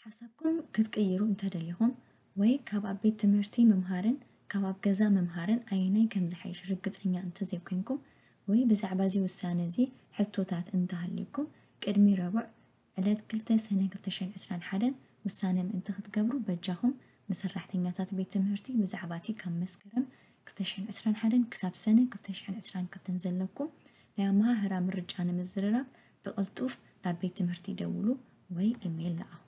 ሓሳብኩም ክትቅይሩ እንተደሊኹም ወይ ካብ ኣብ ቤት ትምህርቲ ምምሃርን ካብ ኣብ ገዛ ምምሃርን ኣየናይ ከም ዝሓይሽ ርግጸኛ እንተዘይኮይንኩም ወይ ብዛዕባ እዚ ውሳነ እዚ ሕቶታት እንተሃልዩኩም ቅድሚ ረቡዕ ዕለት ክልተ ሰነ ክልተ ሽሕን ዕስራን ሓደን ውሳነ ምእንቲ ክትገብሩ በጃኹም ንሰራሕተኛታት ቤት ትምህርቲ ብዛዕባ እቲ ካብ መስከረም ክልተ ሽሕን ዕስራን ሓደን ክሳብ ሰነ ክልተ ሽሕን ዕስራን ክልተን ዘለኩም ናይ ኣመሃህራ ምርጫ ንምዝርራብ ብቕልጡፍ ናብ ቤት ትምህርቲ ደውሉ ወይ ኢሜይል ለኣኹ።